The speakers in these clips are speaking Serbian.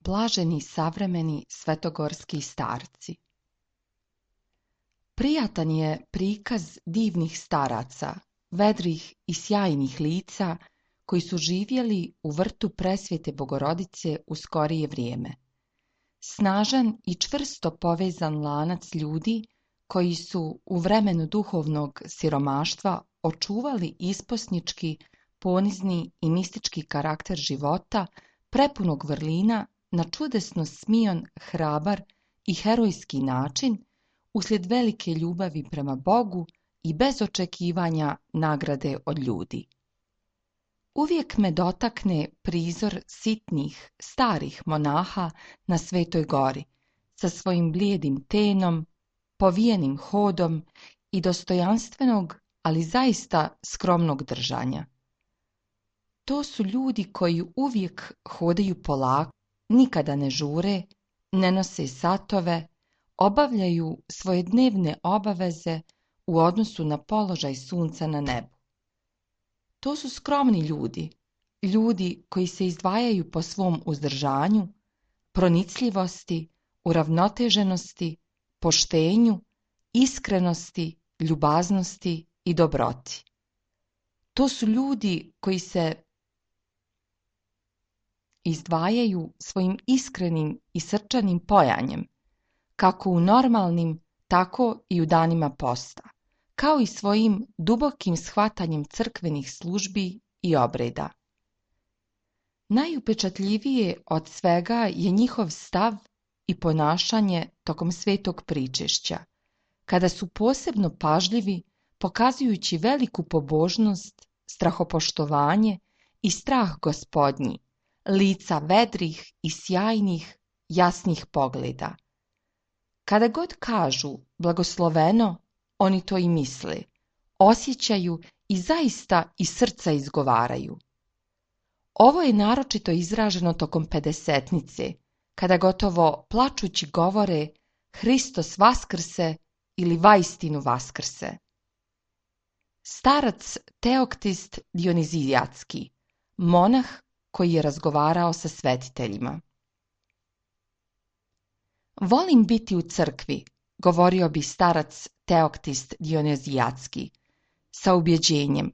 blaženi savremeni svetogorski starci. Prijatan je prikaz divnih staraca, vedrih i sjajnih lica, koji su živjeli u vrtu Presvete Bogorodice u skorije vrijeme. Snažan i čvrsto povezan lanac ljudi koji su u vremenu duhovnog siromaštva očuvali isposnički, ponizni i mistički karakter života, prepunog vrlina, na čudesno smion, hrabar i herojski način, uslijed velike ljubavi prema Bogu i bez očekivanja nagrade od ljudi. Uvijek me dotakne prizor sitnih, starih monaha na Svetoj gori, sa svojim blijedim tenom, povijenim hodom i dostojanstvenog, ali zaista skromnog držanja. To su ljudi koji uvijek hodaju polako, nikada ne žure, ne nose satove, obavljaju svoje dnevne obaveze u odnosu na položaj sunca na nebu. To su skromni ljudi, ljudi koji se izdvajaju po svom uzdržanju, pronicljivosti, uravnoteženosti, poštenju, iskrenosti, ljubaznosti i dobroti. To su ljudi koji se izdvajaju svojim iskrenim i srčanim pojanjem, kako u normalnim, tako i u danima posta, kao i svojim dubokim shvatanjem crkvenih službi i obreda. Najupečatljivije od svega je njihov stav i ponašanje tokom svetog pričešća, kada su posebno pažljivi, pokazujući veliku pobožnost, strahopoštovanje i strah Gospodnji, lica vedrih i sjajnih, jasnih pogleda. Kada god kažu blagosloveno, oni to i misle, osjećaju i zaista iz srca izgovaraju. Ovo je naročito izraženo tokom pedesetnice, kada gotovo plačući govore Hristos vaskrse ili vaistinu vaskrse. Starac Teoktist Dionizijatski, monah koji je razgovarao sa svetiteljima. Volim biti u crkvi, govorio bi starac Teoktist Dionizijatski, sa ubjeđenjem,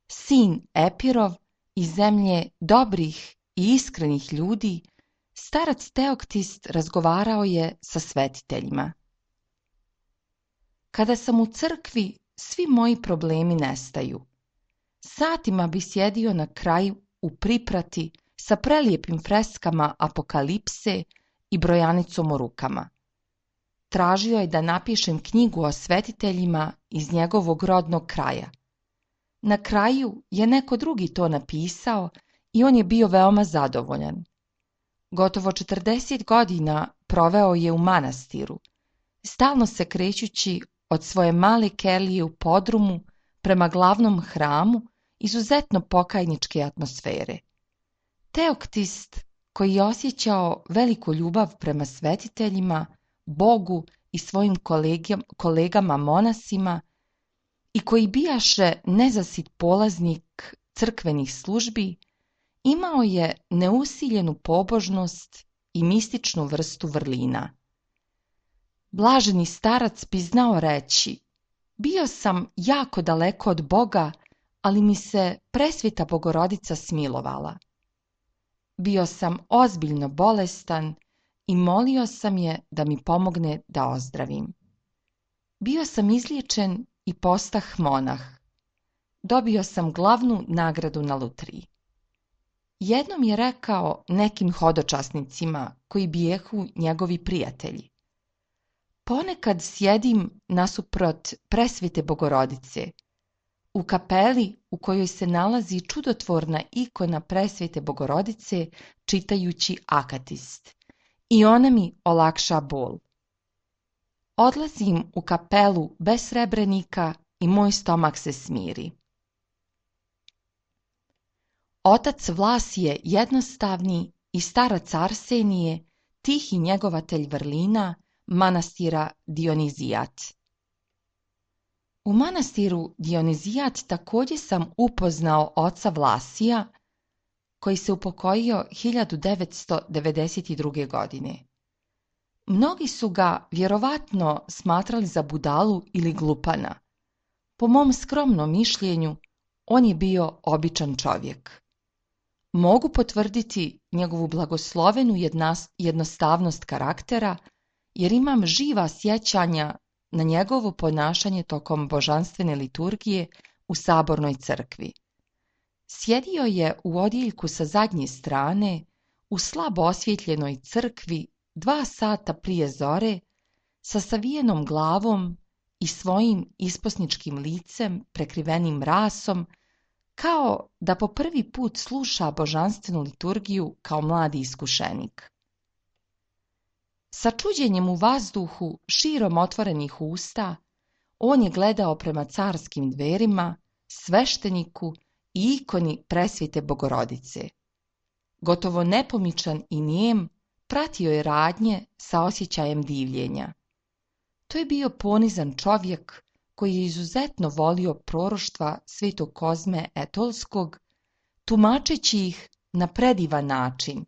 sin Epirov iz zemlje dobrih i iskrenih ljudi, starac Teoktist razgovarao je sa svetiteljima. Kada sam u crkvi, svi moji problemi nestaju. Satima bi sjedio na kraju u priprati sa prelijepim freskama Apokalipse i brojanicom u rukama. Tražio je da napišem knjigu o svetiteljima iz njegovog rodnog kraja. Na kraju je neko drugi to napisao i on je bio veoma zadovoljan. Gotovo 40 godina proveo je u manastiru, stalno se krećući od svoje male kelije u podrumu prema glavnom hramu izuzetno pokajničke atmosfere. Teoktist, koji je osjećao veliku ljubav prema svetiteljima, Bogu i svojim kolegama monasima i koji bijaše nezasit polaznik crkvenih službi, imao je neusiljenu pobožnost i mističnu vrstu vrlina. Blaženi starac bi znao reći, bio sam jako daleko od Boga, ali mi se Presveta Bogorodica smilovala. Bio sam ozbiljno bolestan i molio sam je da mi pomogne da ozdravim. Bio sam izliječen i postah monah. Dobio sam glavnu nagradu na lutriji. Jednom je rekao nekim hodočasnicima koji bijehu njegovi prijatelji. Ponekad sjedim nasuprot Presvete Bogorodice, u kapeli u kojoj se nalazi čudotvorna ikona Presvete Bogorodice čitajući akatist, i ona mi olakša bol. Odlazim u kapelu bez srebrenika i moj stomak se smiri. Otac Vlas je jednostavni i starac Arsenije, tihi njegovatelj vrlina manastira Dionizijat. U manastiru Dionizijat također sam upoznao oca Vlasija, koji se upokojio 1992. godine. Mnogi su ga vjerovatno smatrali za budalu ili glupana. Po mom skromnom mišljenju, on je bio običan čovjek. Mogu potvrditi njegovu blagoslovenu jednostavnost karaktera, jer imam živa sjećanja na njegovo ponašanje tokom božanstvene liturgije u sabornoj crkvi. Sjedio je u odjeljku sa zadnje strane, u slabo osvjetljenoj crkvi 2 sata prije zore, sa savijenom glavom i svojim isposničkim licem prekrivenim rasom, kao da po prvi put sluša božanstvenu liturgiju kao mladi iskušenik. Sa čuđenjem u vazduhu, širom otvorenih usta, on je gledao prema carskim dverima, svešteniku i ikoni Presvete Bogorodice. Gotovo nepomičan i nijem, pratio je radnje sa osjećajem divljenja. To je bio ponizan čovjek koji je izuzetno volio proroštva svetog Kozme Etolskog, tumačeći ih na predivan način.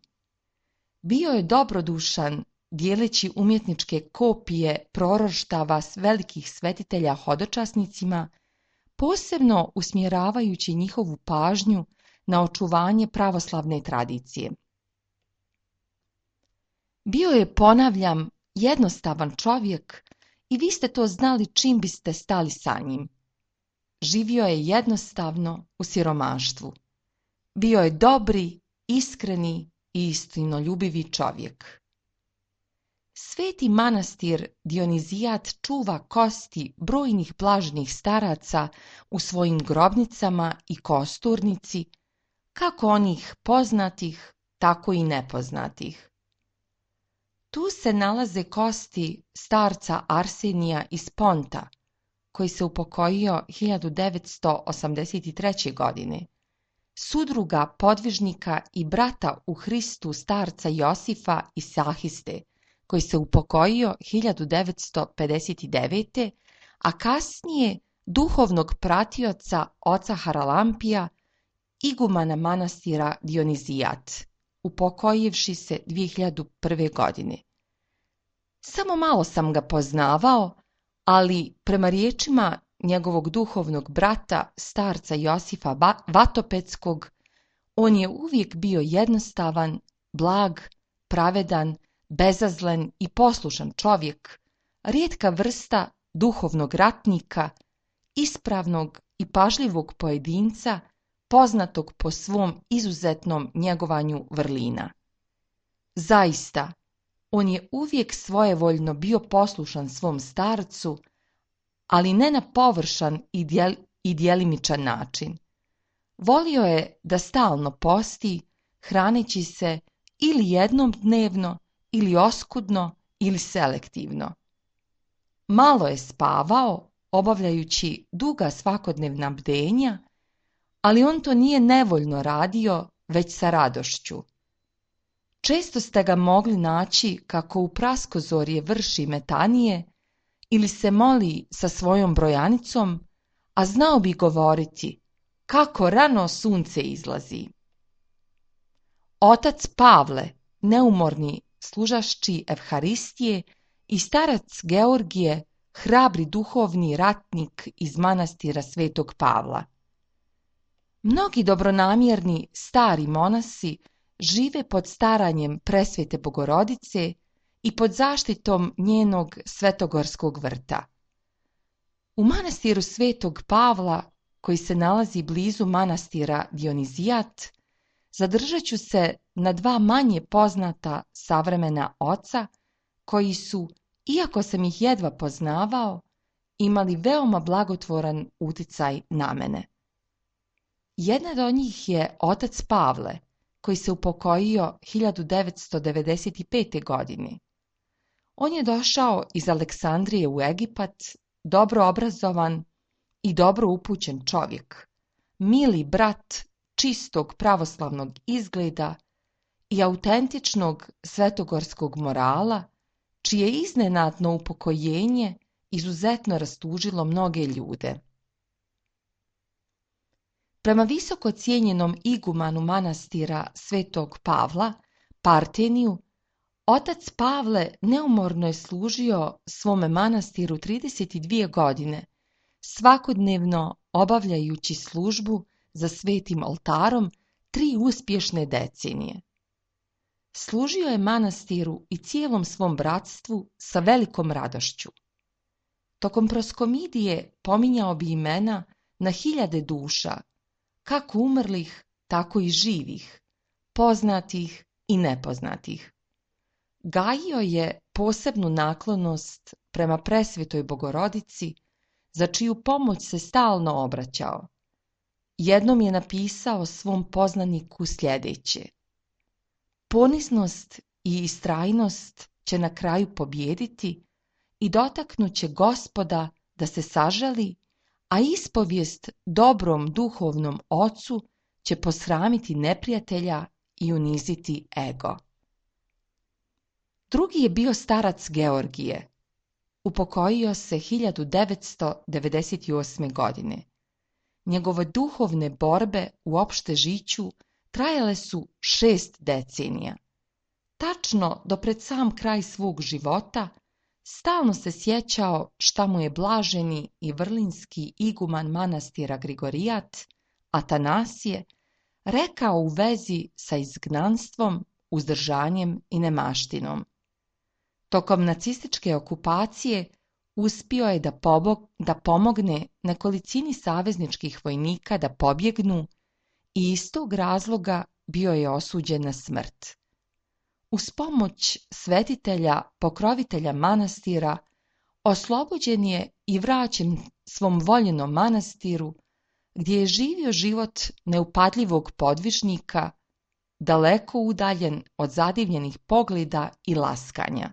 Bio je dobrodušan, dijeleći umjetničke kopije proroštava velikih svetitelja hodočasnicima, posebno usmjeravajući njihovu pažnju na očuvanje pravoslavne tradicije. Bio je, ponavljam, jednostavan čovjek i vi ste to znali čim biste stali sa njim. Živio je jednostavno u siromaštvu. Bio je dobri, iskreni i istinoljubivi čovjek. Sveti manastir Dionizijat čuva kosti brojnih blaženih staraca u svojim grobnicama i kosturnici, kako onih poznatih, tako i nepoznatih. Tu se nalaze kosti starca Arsenija iz Ponta, koji se upokojio 1983. godine, sudruga podvižnika i brata u Hristu starca Josifa iz Sahiste, koji se upokojio 1959. a kasnije duhovnog pratioca oca Haralampija, igumana manastira Dionizijat, upokojivši se 2001. godine. Samo malo sam ga poznavao, ali prema riječima njegovog duhovnog brata, starca Josifa Vatopeckog, on je uvijek bio jednostavan, blag, pravedan, bezazlen i poslušan čovjek, rijetka vrsta duhovnog ratnika, ispravnog i pažljivog pojedinca, poznatog po svom izuzetnom njegovanju vrlina. Zaista, on je uvijek svojevoljno bio poslušan svom starcu, ali ne na površan i djelimičan način. Volio je da stalno posti, hraneći se ili jednom dnevno, ili oskudno, ili selektivno. Malo je spavao, obavljajući duga svakodnevna bdenja, ali on to nije nevoljno radio, već sa radošću. Često ste ga mogli naći kako u praskozorje vrši metanije ili se moli sa svojom brojanicom, a znao bi govoriti kako rano sunce izlazi. Otac Pavle, neumorni služašći Evharistije, i starac Georgije, hrabri duhovni ratnik iz manastira Svetog Pavla. Mnogi dobronamjerni stari monasi žive pod staranjem Presvete Bogorodice i pod zaštitom njenog svetogorskog vrta. U manastiru Svetog Pavla, koji se nalazi blizu manastira Dionizijat, zadržat ću se na 2 manje poznata savremena oca, koji su, iako sam ih jedva poznavao, imali veoma blagotvoran uticaj na mene. Jedan od njih je otac Pavle, koji se upokojio 1995. godine. On je došao iz Aleksandrije u Egipat, dobro obrazovan i dobro upućen čovjek, mili brat čistog pravoslavnog izgleda i autentičnog svetogorskog morala, čije iznenadno upokojenje izuzetno rastužilo mnoge ljude. Prema visoko cijenjenom igumanu manastira Svetog Pavla, Parteniju, otac Pavle neumorno je služio svome manastiru 32 godine, svakodnevno obavljajući službu za svetim oltarom 3 uspješne decenije. Služio je manastiru i cijelom svom bratstvu sa velikom radošću. Tokom proskomidije pominjao bi imena na 1000 duša, kako umrlih, tako i živih, poznatih i nepoznatih. Gajio je posebnu naklonost prema presvetoj Bogorodici, za čiju pomoć se stalno obraćao. Jednom je napisao svom poznaniku sljedeće: poniznost i istrajnost će na kraju pobijediti i dotaknuće Gospoda da se sažali, a ispovijest dobrom duhovnom ocu će posramiti neprijatelja i uniziti ego. Drugi je bio starac Georgije. Upokojio se 1998. godine. Njegove duhovne borbe u opšte žiću trajale su 6 decenija. Tačno do pred sam kraj svog života stalno se sjećao šta mu je blaženi i vrlinski iguman manastira Grigorijat, Atanasije, rekao u vezi sa izgnanstvom, uzdržanjem i nemaštinom. Tokom nacističke okupacije uspio je da pomogne nekolicini savezničkih vojnika da pobjegnu i iz tog razloga bio je osuđen na smrt. Uz pomoć svetitelja, pokrovitelja manastira, oslobođen je i vraćen svom voljenom manastiru, gdje je živio život neupadljivog podvižnika, daleko udaljen od zadivljenih pogleda i laskanja.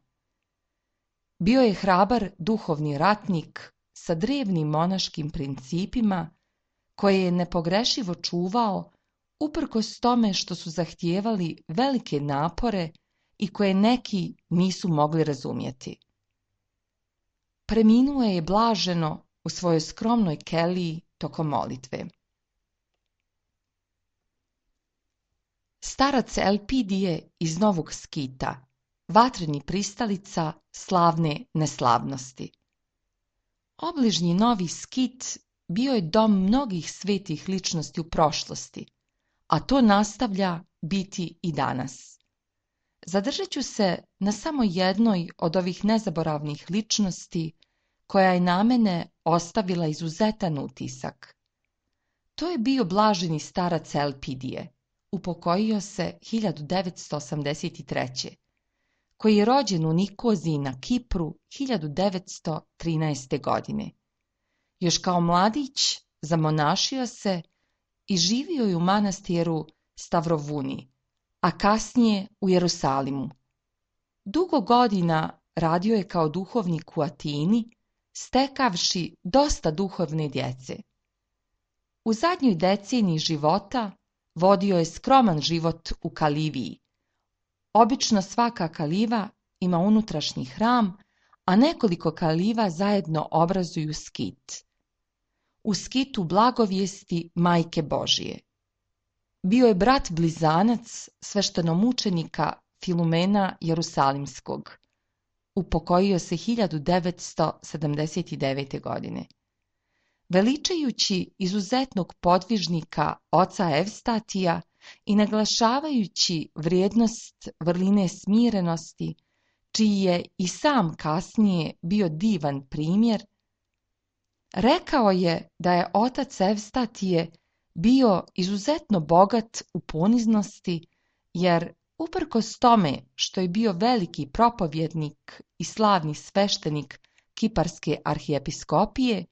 Bio je hrabar duhovni ratnik sa drevnim monaškim principima, koje je nepogrešivo čuvao uprkos tome što su zahtijevali velike napore i koje neki nisu mogli razumjeti. Preminuo je blaženo u svojoj skromnoj keliji tokom molitve. Starac Elpidije iz Novog Skita, vatreni pristalica slavne neslavnosti. Obližnji Novi Skit bio je dom mnogih svetih ličnosti u prošlosti, a to nastavlja biti i danas. Zadržat ću se na samo jednoj od ovih nezaboravnih ličnosti koja je na mene ostavila izuzetan utisak. To je bio blaženi starac Elpidije, upokojio se 1983. koji je rođen u Nikoziji na Kipru 1913. godine. Još kao mladić zamonašio se i živio je u manastiru Stavrovuni, a kasnije u Jerusalimu. Dugo godina radio je kao duhovnik u Atini, stekavši dosta duhovne djece. U zadnjoj deceniji života vodio je skroman život u Kaliviji. Obično svaka kaliva ima unutrašnji hram, a nekoliko kaliva zajedno obrazuju skit. U skitu blagovijesti Majke Božije. Bio je brat blizanac sveštenomučenika Filumena Jerusalimskog. Upokojio se 1979. godine. Veličajući izuzetnog podvižnika oca Evstatija i naglašavajući vrijednost vrline smirenosti, čiji je i sam kasnije bio divan primjer, rekao je da je otac Evstatije bio izuzetno bogat u poniznosti, jer uprkos tome što je bio veliki propovjednik i slavni sveštenik Kiparske arhijepiskopije,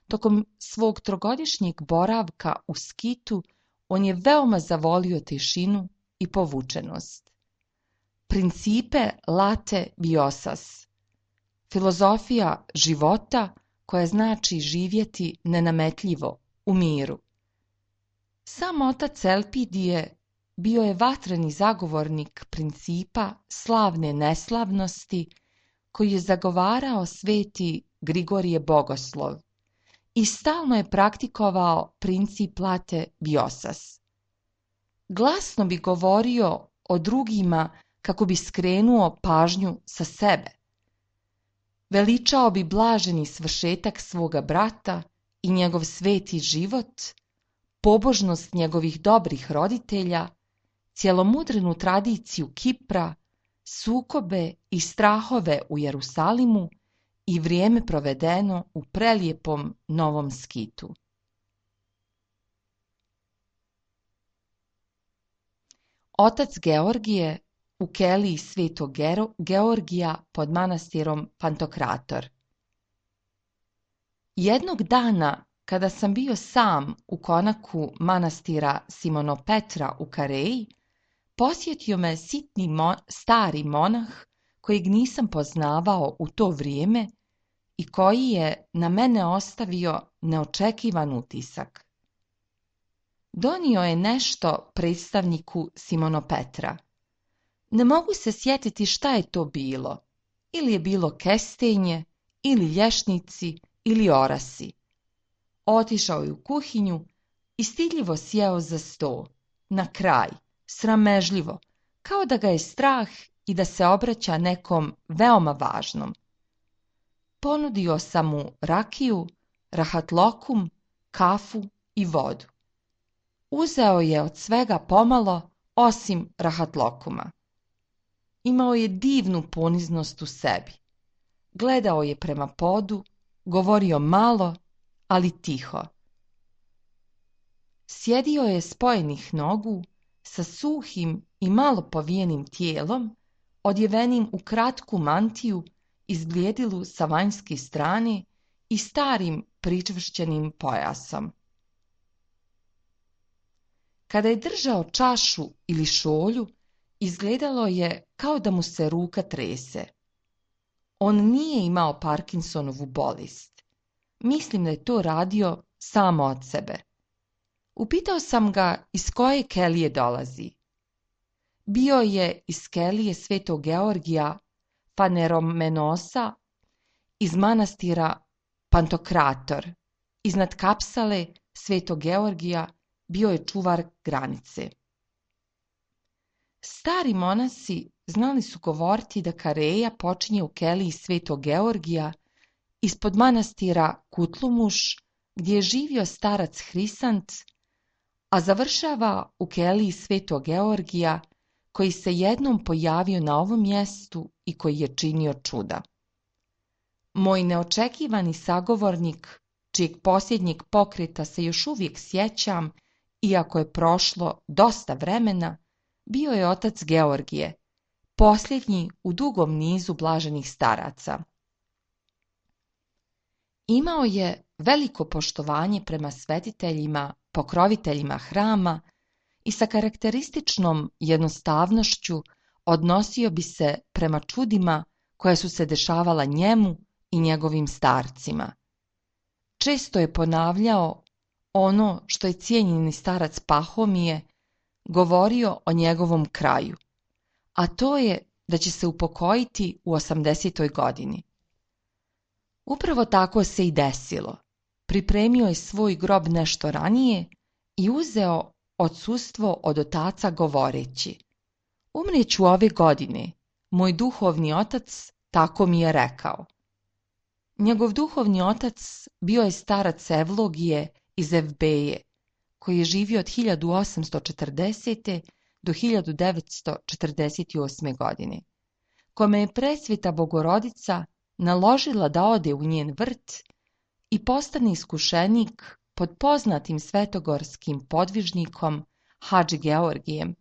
tokom svog 3-godišnjeg boravka u Skitu on je veoma zavolio tišinu i povučenost. Principe late biosas, filozofija života koja znači živjeti nenametljivo, u miru. Sam otac Elpidije bio je vatreni zagovornik principa slavne neslavnosti koji je zagovarao sveti Grigorije Bogoslov i stalno je praktikovao princip late biosas. Glasno bi govorio o drugima kako bi skrenuo pažnju sa sebe. Veličao bi blaženi svršetak svoga brata i njegov sveti život, pobožnost njegovih dobrih roditelja, cjelomudrenu tradiciju Kipra, sukobe i strahove u Jerusalimu i vrijeme provedeno u prelijepom Novom Skitu. Otac Georgije u keliji Svetog Georgija pod manastirom Pantokrator. Jednog dana, kada sam bio sam u konaku manastira Simonopetra u Kareji, posjetio me sitni stari monah kojeg nisam poznavao u to vrijeme i koji je na mene ostavio neočekivan utisak. Donio je nešto predstavniku Simonopetra. Ne mogu se sjetiti šta je to bilo. Ili je bilo kestenje, ili lješnici, ili orasi. Otišao je u kuhinju i stidljivo sjeo za sto, na kraj, sramežljivo, kao da ga je strah i da se obraća nekom veoma važnom. Ponudio sam mu rakiju, rahatlokum, kafu i vodu. Uzeo je od svega pomalo, osim rahatlokuma. Imao je divnu poniznost u sebi. Gledao je prema podu, govorio malo, ali tiho. Sjedio je spojenih nogu, sa suhim i malo povijenim tijelom, odjevenim u kratku mantiju, izblijedilu sa vanjske strane i starim pričvršćenim pojasom. Kada je držao čašu ili šolju, izgledalo je kao da mu se ruka trese. On nije imao Parkinsonovu bolest. Mislim da je to radio samo od sebe. Upitao sam ga iz koje kelije dolazi. Bio je iz kelije Svetog Georgija Faneromenosa iz manastira Pantokrator. Iznad kapsale Svetog Georgija bio je čuvar granice. Stari monasi znali su govoriti da Kareja počinje u keliji Svetog Georgija ispod manastira Kutlumuš, gdje je živio starac Hrisant, a završava u keliji Svetog Georgija, koji se jednom pojavio na ovom mjestu i koji je činio čuda. Moj neočekivani sagovornik, čijeg posljednjeg pokreta se još uvijek sjećam, iako je prošlo dosta vremena, bio je otac Georgije, posljednji u dugom nizu blaženih staraca. Imao je veliko poštovanje prema svetiteljima, pokroviteljima hrama i sa karakterističnom jednostavnošću odnosio bi se prema čudima koja su se dešavala njemu i njegovim starcima. Često je ponavljao ono što je cijenjeni starac Pahomije govorio o njegovom kraju, a to je da će se upokojiti u 80. godini. Upravo tako se i desilo. Pripremio je svoj grob nešto ranije i uzeo odsustvo od otaca govoreći: umrijeću ove godine, moj duhovni otac tako mi je rekao. Njegov duhovni otac bio je starac Evlogije iz Evbeje, koji je živio od 1840. do 1948. godine, kome je presveta Bogorodica naložila da ode u njen vrt i postane iskušenik pod poznatim svetogorskim podvižnikom Hadži Georgijem,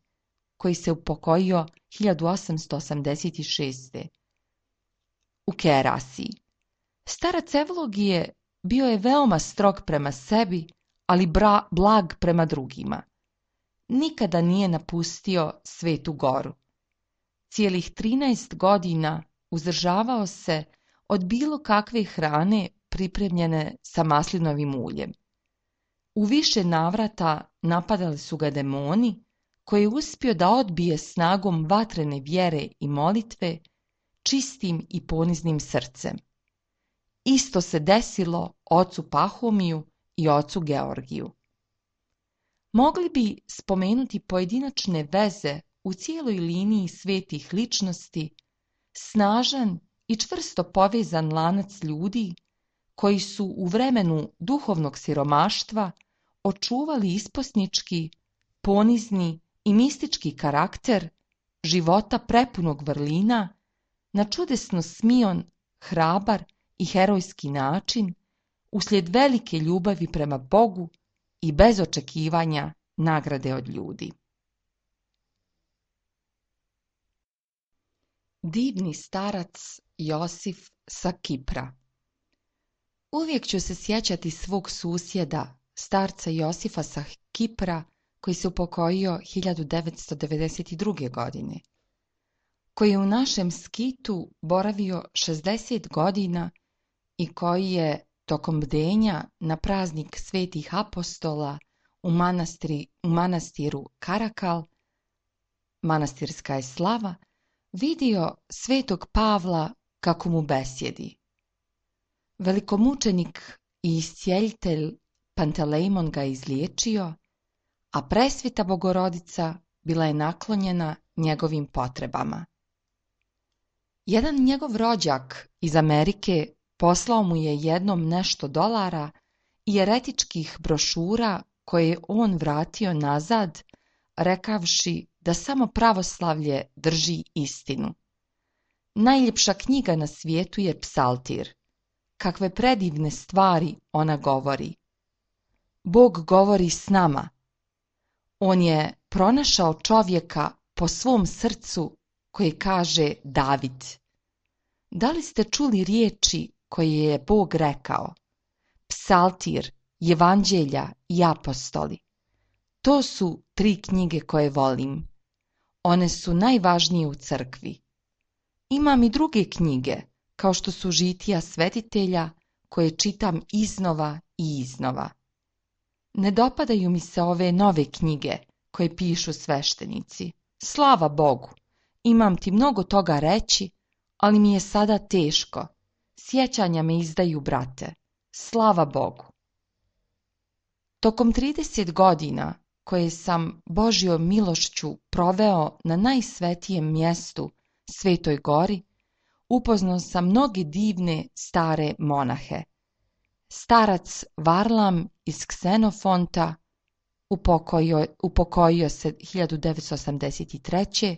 koji se upokojio 1886. u Kerasiji. Starac Evlogije bio je veoma strog prema sebi, ali blag prema drugima. Nikada nije napustio Svetu Goru. Cijelih 13 godina uzdržavao se od bilo kakve hrane pripremljene sa maslinovim uljem. U više navrata napadali su ga demoni, koje je uspio da odbije snagom vatrene vjere i molitve, čistim i poniznim srcem. Isto se desilo ocu Pahomiju i ocu Georgiju. Mogli bi spomenuti pojedinačne veze u cijeloj liniji svetih ličnosti, snažan i čvrsto povezan lanac ljudi koji su u vremenu duhovnog siromaštva očuvali isposnički, ponizni i mistički karakter života prepunog vrlina na čudesno smion, hrabar i herojski način uslijed velike ljubavi prema Bogu i bez očekivanja nagrade od ljudi. Divni starac Josif sa Kipra. Uvijek ću se sjećati svog susjeda, starca Josifa sa Kipra, koji se upokojio 1992. godine, koji je u našem skitu boravio 60 godina i koji je tokom bdenja na praznik svetih apostola u manastiru Karakal, manastirska je slava, vidio svetog Pavla kako mu besjedi. Velikomučenik i iscijeljitelj Pantelejmon ga izliječio, a presveta Bogorodica bila je naklonjena njegovim potrebama. Jedan njegov rođak iz Amerike poslao mu je jednom nešto dolara i eretičkih brošura koje je on vratio nazad, rekavši da samo pravoslavlje drži istinu. Najljepša knjiga na svijetu je Psaltir. Kakve predivne stvari ona govori. Bog govori s nama. On je pronašao čovjeka po svom srcu koji kaže David. Da li ste čuli riječi koje je Bog rekao? Psaltir, Evanđelja i apostoli. To su 3 knjige koje volim. One su najvažnije u crkvi. Imam i druge knjige, kao što su žitija svetitelja, koje čitam iznova i iznova. Ne dopadaju mi se ove nove knjige koje pišu sveštenici. Slava Bogu, imam ti mnogo toga reći, ali mi je sada teško. Sjećanja me izdaju, brate. Slava Bogu. Tokom 30 godina koje sam Božjom milošću proveo na najsvetijem mjestu, Svetoj gori, upoznao sam mnoge divne stare monahe. Starac Varlam iz Ksenofonta upokojio se 1983.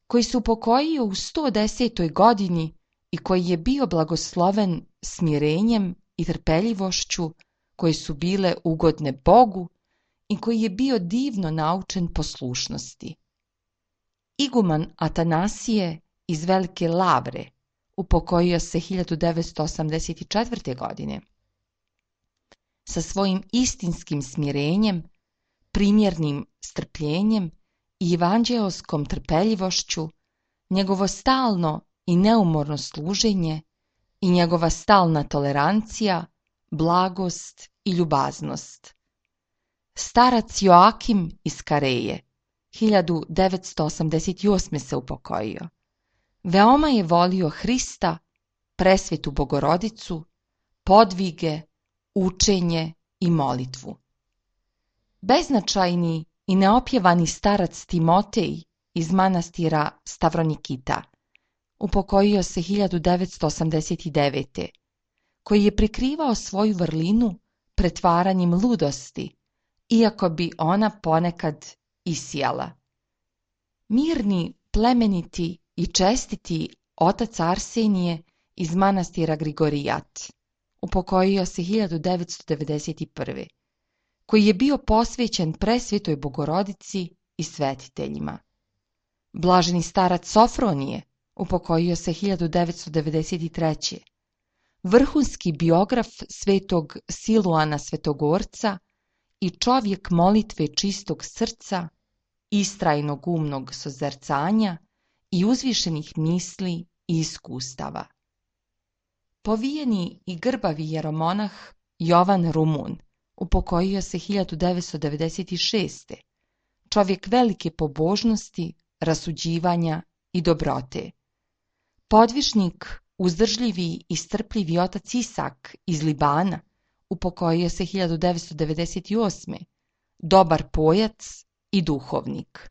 koji se upokojio u 110. godini i koji je bio blagosloven smirenjem i trpeljivošću koje su bile ugodne Bogu i koji je bio divno naučen poslušnosti. Iguman Atanasije iz Velike Lavre upokojio se 1984. godine. Sa svojim istinskim smirenjem, primjernim strpljenjem i evanđeoskom trpeljivošću, njegovo stalno i neumorno služenje i njegova stalna tolerancija, blagost i ljubaznost. Starac Joakim iz Kareje 1988. se upokojio. Veoma je volio Hrista, presvetu Bogorodicu, podvige, učenje i molitvu. Beznačajni i neopjevani starac Timotej iz manastira Stavronikita upokojio se 1989. koji je prikrivao svoju vrlinu pretvaranjem ludosti, iako bi ona ponekad isijala. Mirni, plemeniti i čestiti otac Arsenije iz manastira Grigorijat upokojio se 1991. koji je bio posvećen presvetoj Bogorodici i svetiteljima. Blaženi starac Sofronije upokojio se 1993. Vrhunski biograf svetog Siluana Svetogorca i čovjek molitve čistog srca, istrajnog umnog sozercanja i uzvišenih misli i iskustava. Povijeni i grbavi jeromonah Jovan Rumun upokojio se 1996. Čovjek velike pobožnosti, rasuđivanja i dobrote. Podvišnik uzdržljivi i strpljivi otac Isak iz Libana, upokojio se 1998. Dobar pojac i duhovnik.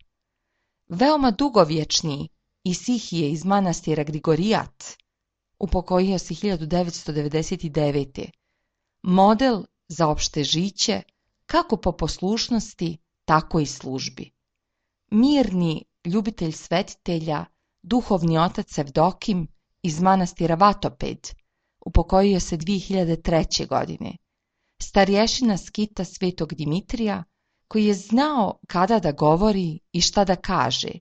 Veoma dugovječni Isihije iz manastira Grigorijat, upokojio se 1999. Model za opšte žiće, kako po poslušnosti, tako i službi. Mirni ljubitelj svetitelja, duhovni otac Evdokim iz manastira Vatoped, upokojio se 2003. godine. Starješina skita Svetog Dimitrija, koji je znao kada da govori i šta da kaže,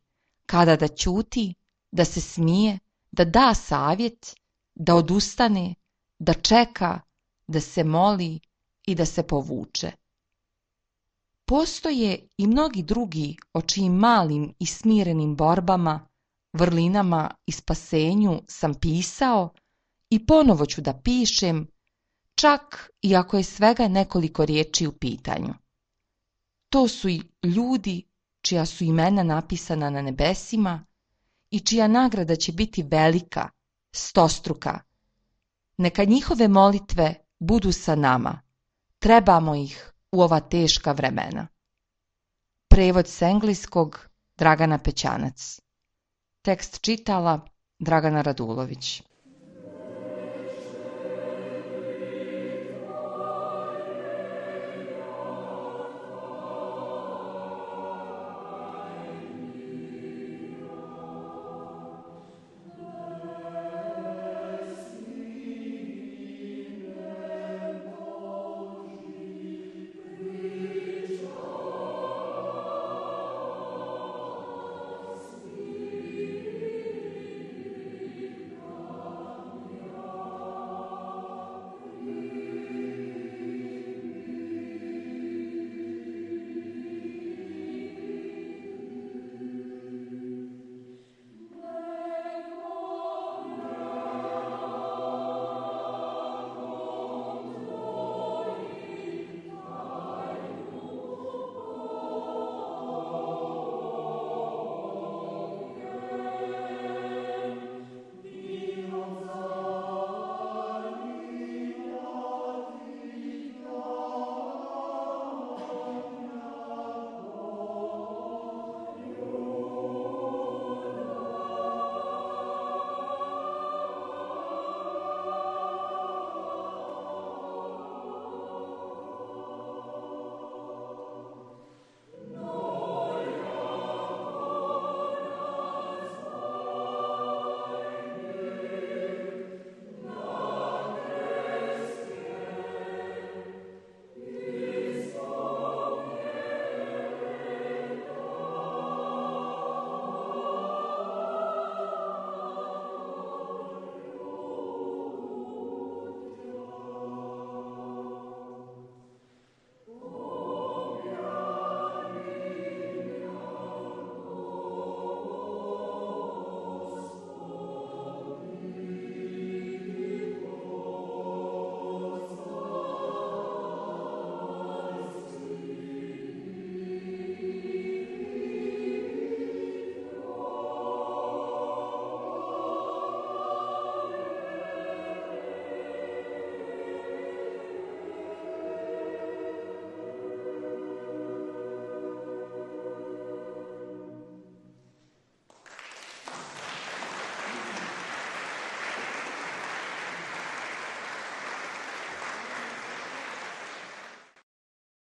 kada da ćuti, da se smije, da da savjet, da odustane, da čeka, da se moli i da se povuče. Postoje i mnogi drugi o čijim malim i smirenim borbama, vrlinama i spasenju sam pisao i ponovo ću da pišem, čak i ako je svega nekoliko riječi u pitanju. To su i ljudi čija su imena napisana na nebesima i čija nagrada će biti velika, stostruka. Neka njihove molitve budu sa nama. Trebamo ih u ova teška vremena. Prevod s engleskog Dragana Pećanac. Tekst čitala Dragana Radulović.